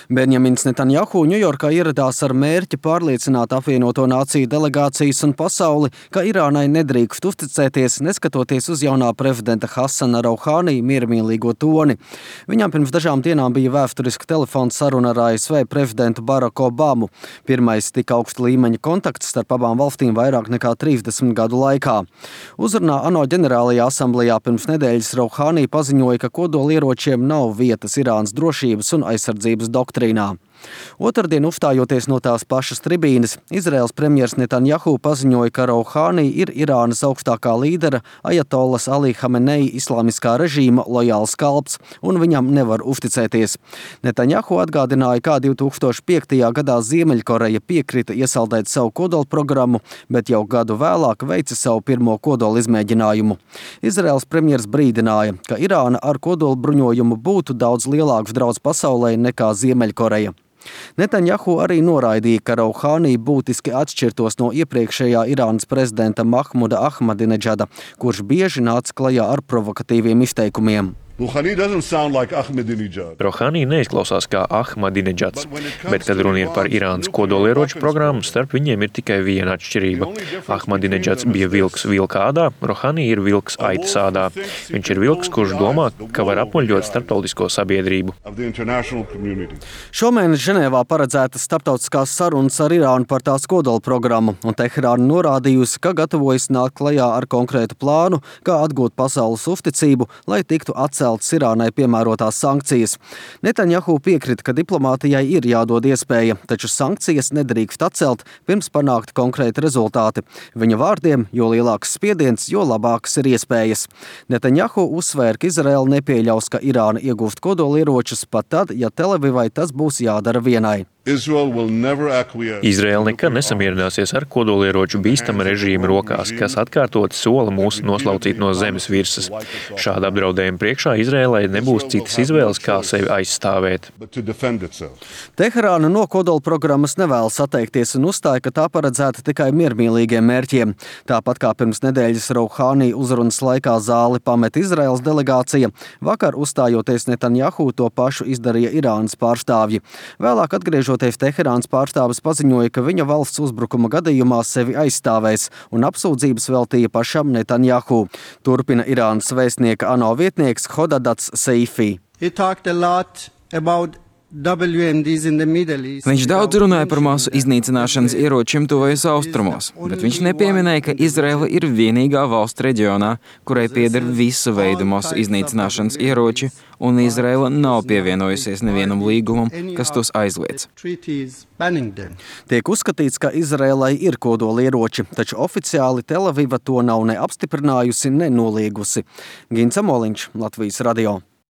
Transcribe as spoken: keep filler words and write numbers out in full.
Benjamins Netanjahu Ņujorkā ieradās ar mērķi pārliecināt apvienoto nāciju delegācijas un pasauli, ka Irānai nedrīkst uzticēties, neskatoties uz jaunā prezidenta Hasana Rouhani miermīlīgo toni. Viņam pirms dažām dienām bija vēsturiska telefona saruna ar A S V prezidentu Baracku Obamu. Pirmais tik augsta līmeņa kontakts starp abām valstīm vairāk nekā trīsdesmit gadu laikā. Uzrunā ANO ģenerālajā asamblejā pirms nedēļas Rouhani paziņoja, ka kodolieročiem nav vietas Irānas drošības un aizsardzības doktrīnā. Otrdien, uzstājoties no tās pašas tribīnes, Izraēlas premjers Netanjahu paziņoja, ka Rouhani ir Irānas augstākā līdera Ajatollas Ali Hamenei islāmiskā režīma lojāls kalps, un viņam nevar uzticēties. Netanjahu atgādināja, kā divi tūkstoši piektajā gadā Ziemeļkoreja piekrita iesaldēt savu kodolprogrammu, bet jau gadu vēlāk veica savu pirmo kodola izmēģinājumu. Izraēlas premjers brīdināja, ka Irāna ar kodolbruņojumu būtu daudz lielāks drauds pasaulē nekā Ziemeļkoreja. Netanjahu arī noraidīja, ka Rouhani būtiski atšķirtos no iepriekšējā Irānas prezidenta Mahmuda Ahmadineģada, kurš bieži nāca klajā ar provokatīviem izteikumiem. Rouhani neizklausās kā Ahmadineģads, bet, kad runa ir par Irānas kodolieroču programmu, starp viņiem ir tikai viena atšķirība. Ahmadineģads bija vilks vilka ādā, Rouhani ir vilks aitas ādā. Viņš ir vilks, kurš domā, ka var apmuļļot starptautisko sabiedrību. Šomēnes Ženēvā paredzētas starptautiskās sarunas ar Irānu par tās kodola programmu, un Teherāna norādījusi, ka gatavojas nākt klajā ar konkrētu plānu, kā atgūt pasaules uzticību, lai tiktu atceltas Irānai piemērotās sankcijas. Netanjahu piekrita, ka diplomātijai ir jādod iespēja, taču sankcijas nedrīkst atcelt, pirms panākt konkrēti rezultāti. Viņa vārdiem, jo lielāks spiediens, jo labākas ir iespējas. Netanjahu uzsvēra, ka Izraēla nepieļaus, ka Irāna iegūst kodolieročus pat tad, ja Televivai tas būs jādara vienai. Izraēla nekad nesamierināsies ar kodolieroču bīstama režīma rokās, kas atkārtot sola mūs noslaucīt no zemes virsmas. Šāda apdraudējuma priekšā Izraēlai nebūs citas izvēles, kā sevi aizstāvēt. Teherāna no kodola programmas nevēlas atteikties un uzstāja, ka tā paredzēta tikai miermīlīgiem mērķiem. Tāpat kā pirms nedēļas Rouhani uzrunas laikā zāli pamet Izraēlas delegācija, vakar uzstājoties Netanjahu to pašu izdarīja Irānas pārstāvji. Vēlāk atgriežot Teherānas pārstāvis paziņoja, ka viņa valsts uzbrukuma gadījumā sevi aizstāvēs un apsūdzības veltīja pašam Netanjahu. Turpina Irānas vēstnieka ANO vietnieks Hodadats Seifi. Viņš daudz runāja par masu iznīcināšanas ieročiem tuvajos austrumos, bet viņš nepieminēja, ka Izraela ir vienīgā valsts reģionā, kurai pieder visu veidu masu iznīcināšanas ieroči, un Izraela nav pievienojusies nevienam līgumam, kas tos aizliedz. Tiek uzskatīts, ka Izraēlai ir kodolieroči, taču oficiāli Tel Aviva to nav ne apstiprinājusi, ne noliegusi. Gins Amoliņš, Latvijas radio.